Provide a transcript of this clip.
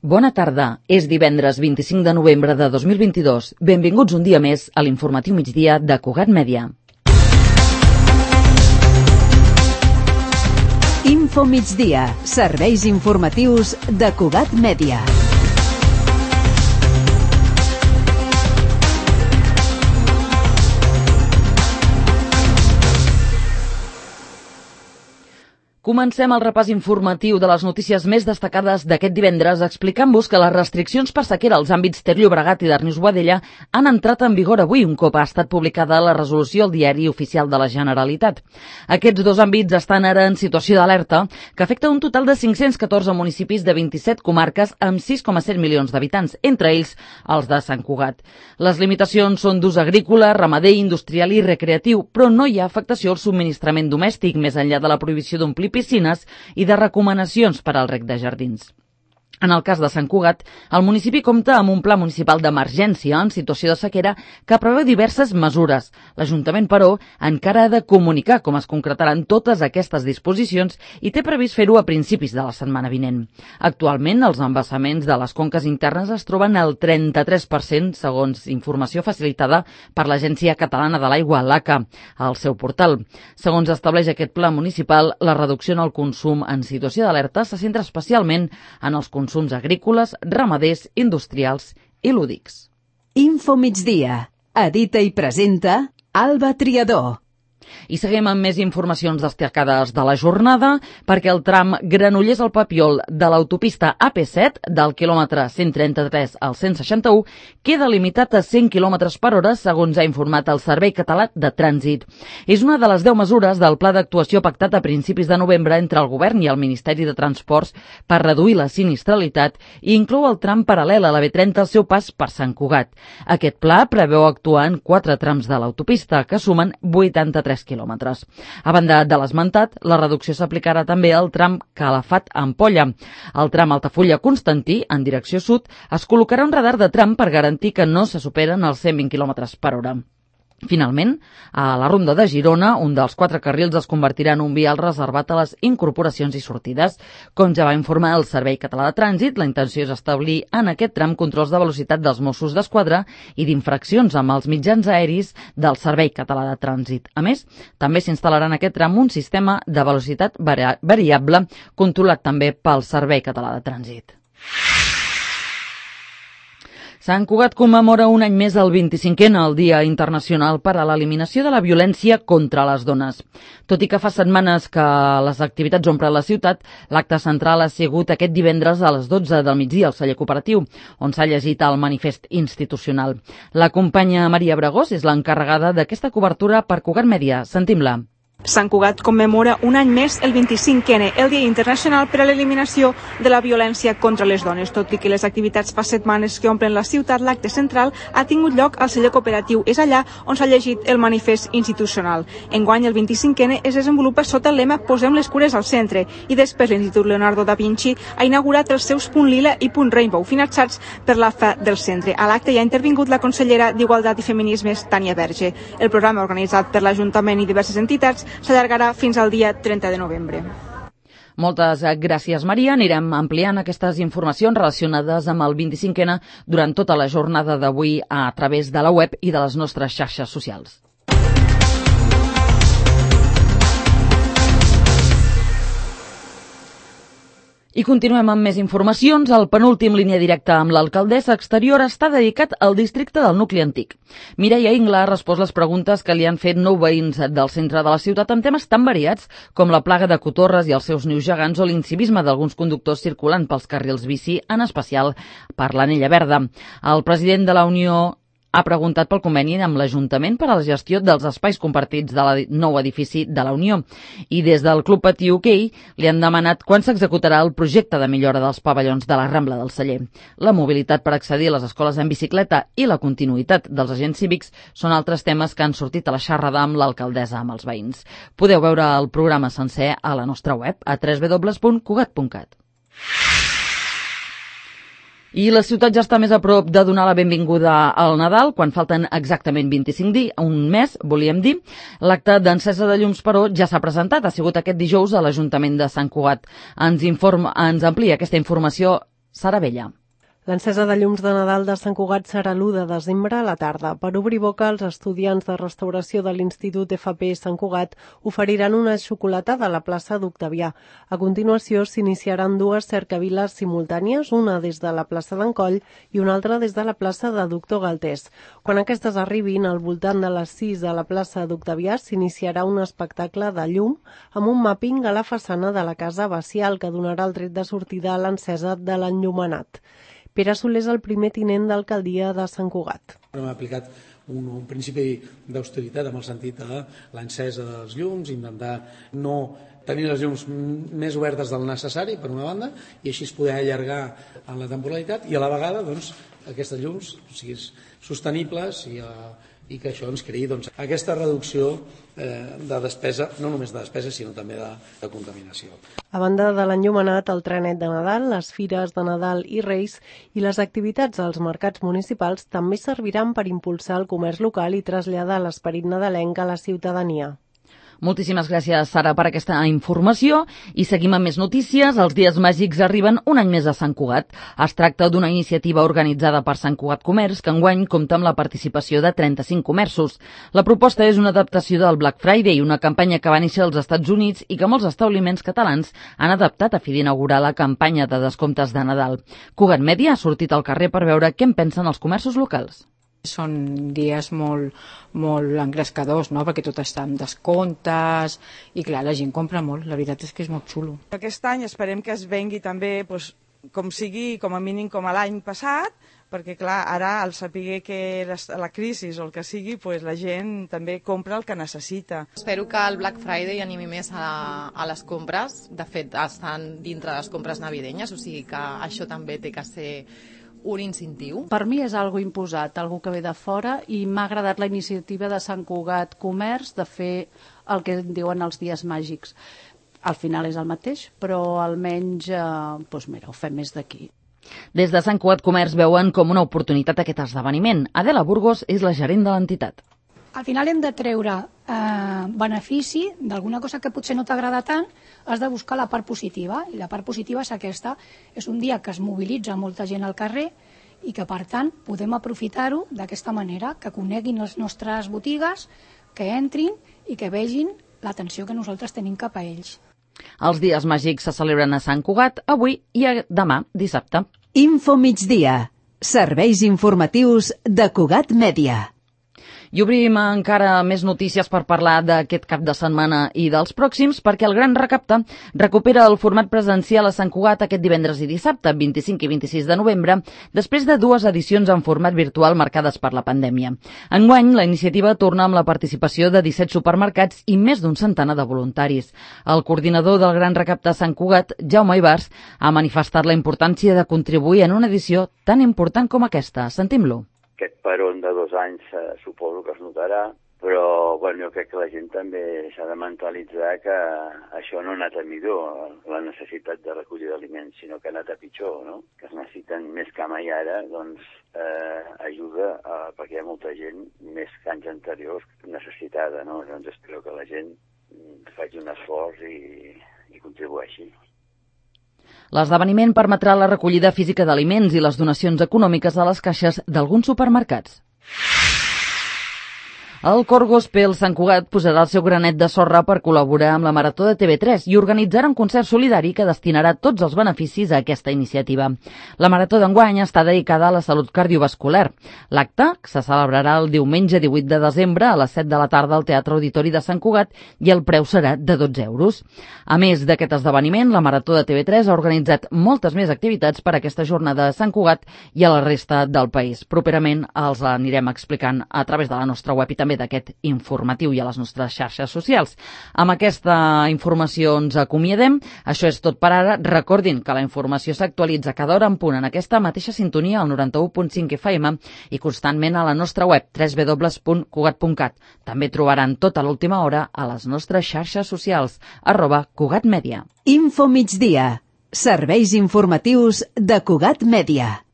Bona tarda. És divendres 25 de novembre de 2022. Benvinguts un dia més a l'informatiu migdia de Cugat Mèdia. Info migdia. Serveis informatius de Cugat Mèdia. Comencem el repàs informatiu de les notícies més destacades d'aquest divendres explicant-vos que les restriccions per sequera als àmbits Ter Llobregat i Darnius Boadella han entrat en vigor avui, un cop ha estat publicada la resolució al Diari Oficial de la Generalitat. Aquests dos àmbits estan ara en situació d'alerta, que afecta un total de 514 municipis de 27 comarques amb 6,7 milions d'habitants, entre ells els de Sant Cugat. Les limitacions són d'ús agrícola, ramader, industrial i recreatiu, però no hi ha afectació al subministrament domèstic, més enllà de la prohibició d'omplir piscines i de recomanacions per al reg de jardins. En el cas de Sant Cugat, el municipi compta amb un pla municipal d'emergència en situació de sequera que preveu diverses mesures. L'Ajuntament, però, encara ha de comunicar com es concretaran totes aquestes disposicions i té previst fer-ho a principis de la setmana vinent. Actualment, els embassaments de les conques internes es troben al 33%, segons informació facilitada per l'Agència Catalana de l'Aigua, l'ACA, al seu portal. Segons estableix aquest pla municipal, la reducció en el consum en situació d'alerta se centra especialment en els consums agrícoles, ramaders, industrials i lúdics. Info migdia. Edita i presenta Alba Triador. I seguim amb més informacions destacades de la jornada, perquè el tram Granollers al Papiol de l'autopista AP7, del quilòmetre 133 al 161, queda limitat a 100 km per hora, segons ha informat el Servei Català de Trànsit. És una de les 10 mesures del pla d'actuació pactat a principis de novembre entre el Govern i el Ministeri de Transports per reduir la sinistralitat i inclou el tram paral·lel a la B30 al seu pas per Sant Cugat. Aquest pla preveu actuar en 4 trams de l'autopista, que sumen 83 quilòmetres. A banda de l'esmentat, la reducció s'aplicarà també al tram Calafat-Ampolla. Al tram Altafulla-Constantí, en direcció sud, es col·locarà un radar de tram per garantir que no se superen els 120 km per hora. Finalment, a la Ronda de Girona, un dels 4 carrils es convertirà en un vial reservat a les incorporacions i sortides. Com ja va informar el Servei Català de Trànsit, la intenció és establir en aquest tram controls de velocitat dels Mossos d'Esquadra i d'infraccions amb els mitjans aeris del Servei Català de Trànsit. A més, també s'instal·larà en aquest tram un sistema de velocitat variable controlat també pel Servei Català de Trànsit. Sant Cugat commemora un any més el 25è, el Dia Internacional per a l'Eliminació de la Violència contra les Dones. Tot i que fa setmanes que les activitats omplen la ciutat, l'acte central ha sigut aquest divendres a les 12 del migdia al celler cooperatiu, on s'ha llegit el manifest institucional. La companya Maria Bragós és l'encarregada d'aquesta cobertura per Cugat Mèdia. Sentim-la. Sant Cugat commemora un any més el 25è, el Dia Internacional per a l'Eliminació de la Violència contra les Dones. Tot i que les activitats fa setmanes que omplen la ciutat, l'acte central ha tingut lloc al celler cooperatiu. És allà on s'ha llegit el manifest institucional. Enguany, el 25è es desenvolupa sota el lema Posem les cures al centre, i després l'Institut Leonardo da Vinci ha inaugurat els seus Punt Lila i Punt Rainbow, finançats per l'AFA del centre. A l'acte hi ha intervingut la consellera d'Igualtat i Feminismes, Tània Verge. El programa, organitzat per l'Ajuntament i diverses entitats, s'allargarà fins al dia 30 de novembre. Moltes gràcies, Maria. Anirem ampliant aquestes informacions relacionades amb el 25è durant tota la jornada d'avui a través de la web i de les nostres xarxes socials. I continuem amb més informacions. El penúltim línia directa amb l'alcaldessa exterior està dedicat al districte del nucli antic. Mireia Ingla ha respost les preguntes que li han fet 9 veïns del centre de la ciutat amb temes tan variats com la plaga de cotorres i els seus nius gegants o l'incivisme d'alguns conductors circulant pels carrils bici, en especial per l'Anella Verda. El president de la Unió ha preguntat pel conveni amb l'Ajuntament per a la gestió dels espais compartits del nou edifici de la Unió. I des del Club Patí Hoquei li han demanat quan s'executarà el projecte de millora dels pavellons de la Rambla del Celler. La mobilitat per accedir a les escoles en bicicleta i la continuïtat dels agents cívics són altres temes que han sortit a la xerrada amb l'alcaldessa amb els veïns. Podeu veure el programa sencer a la nostra web a www.cugat.cat. I la ciutat ja està més a prop de donar la benvinguda al Nadal, quan falten exactament 25 dies, un mes, volíem dir. L'acte d'encesa de llums, però, ja s'ha presentat. Ha sigut aquest dijous a l'Ajuntament de Sant Cugat. Ens amplia aquesta informació Sara Vella. L'encesa de llums de Nadal de Sant Cugat serà l'1 de desembre a la tarda. Per obrir boca, els estudiants de restauració de l'Institut FP Sant Cugat oferiran una xocolatada a la plaça d'Octavià. A continuació, s'iniciaran dues cercaviles simultànies, una des de la plaça d'Encoll i una altra des de la plaça de Doctor Galtés. Quan aquestes arribin, al voltant de les 6 a la plaça d'Octavià, s'iniciarà un espectacle de llum amb un màpping a la façana de la Casa Bacial que donarà el tret de sortida a l'encesa de l'enllumenat. Pere Soler és el primer tinent d'alcaldia de Sant Cugat. Hem aplicat un principi d'austeritat amb el sentit de l'encesa dels llums, intentar no tenir les llums més obertes del necessari, per una banda, i així es poder allargar en la temporalitat i a la vegada aquestes llums siguin sostenibles i que això ens creï aquesta reducció de despesa, no només de despesa, sinó també de contaminació. A banda de l'enllumenat, el trenet de Nadal, les fires de Nadal i Reis i les activitats als mercats municipals també serviran per impulsar el comerç local i traslladar l'esperit nadalenc a la ciutadania. Moltíssimes gràcies, Sara, per aquesta informació. I seguim amb més notícies. Els Dies Màgics arriben un any més a Sant Cugat. Es tracta d'una iniciativa organitzada per Sant Cugat Comerç, que enguany compta amb la participació de 35 comerços. La proposta és una adaptació del Black Friday, una campanya que va néixer als Estats Units i que molts establiments catalans han adaptat a fi d'inaugurar la campanya de descomptes de Nadal. Cugat Mèdia ha sortit al carrer per veure què en pensen els comerços locals. Són dies molt engrescadors, no? Perquè tot està amb descomptes i clar, la gent compra molt, la veritat és que és molt xulo. Aquest any esperem que es vengui també com sigui, com a mínim com a l'any passat, perquè clar, ara al saber que la crisi o el que sigui, la gent també compra el que necessita. Espero que el Black Friday animi més a les compres, de fet estan dintre de les compres navidenyes, o sigui que això també té que ser un incentiu. Per mi és algo imposat, algo que ve de fora, i m'ha agradat la iniciativa de Sant Cugat Comerç de fer el que diuen els Dies Màgics. Al final és el mateix, però almenys ho fem més d'aquí. Des de Sant Cugat Comerç veuen com una oportunitat aquest esdeveniment. Adela Burgos és la gerent de l'entitat. Al final hem de treure benefici d'alguna cosa que potser no t'agrada tant, has de buscar la part positiva, i la part positiva és aquesta. És un dia que es mobilitza molta gent al carrer i que, per tant, podem aprofitar-ho d'aquesta manera, que coneguin les nostres botigues, que entrin i que vegin l'atenció que nosaltres tenim cap a ells. Els Dies Màgics se celebren a Sant Cugat avui i demà, dissabte. Info Migdia. Serveis informatius de Cugat Mèdia. I obrim encara més notícies per parlar d'aquest cap de setmana i dels pròxims, perquè el Gran Recapte recupera el format presencial a Sant Cugat aquest divendres i dissabte, 25 i 26 de novembre, després de 2 edicions en format virtual marcades per la pandèmia. Enguany, la iniciativa torna amb la participació de 17 supermercats i més d'un centenar de voluntaris. El coordinador del Gran Recapte a Sant Cugat, Jaume Ibars, ha manifestat la importància de contribuir en una edició tan important com aquesta. Sentim-lo. Aquest peron de 2 anys suposo que es notarà, però jo crec que la gent també s'ha de mentalitzar que això no ha anat a millor, la necessitat de recollir d'aliments, sinó que ha anat a pitjor, no? Que es necessiten més que mai ara, ajuda perquè hi ha molta gent, més que anys anteriors, necessitada, no? Doncs espero que la gent faci un esforç i contribueixi. L'esdeveniment permetrà la recollida física d'aliments i les donacions econòmiques a les caixes d'alguns supermercats. El Cor Gospel Sant Cugat posarà el seu granet de sorra per col·laborar amb la Marató de TV3 i organitzarà un concert solidari que destinarà tots els beneficis a aquesta iniciativa. La Marató d'enguany està dedicada a la salut cardiovascular. L'acte se celebrarà el diumenge 18 de desembre a les 7 de la tarda al Teatre Auditori de Sant Cugat i el preu serà de 12 euros. A més d'aquest esdeveniment, la Marató de TV3 ha organitzat moltes més activitats per a aquesta jornada a Sant Cugat i a la resta del país. Properament els anirem explicant a través de la nostra web i també d'aquest informatiu i a les nostres xarxes socials. Amb aquesta informació ens acomiadem. Això és tot per ara. Recordin que la informació s'actualitza cada hora en punt en aquesta mateixa sintonia al 91.5 FM i constantment a la nostra web www.cugat.cat. També trobaran tota l'última hora a les nostres xarxes socials @CugatMèdia. Info Migdia. Serveis informatius de Cugat Mèdia.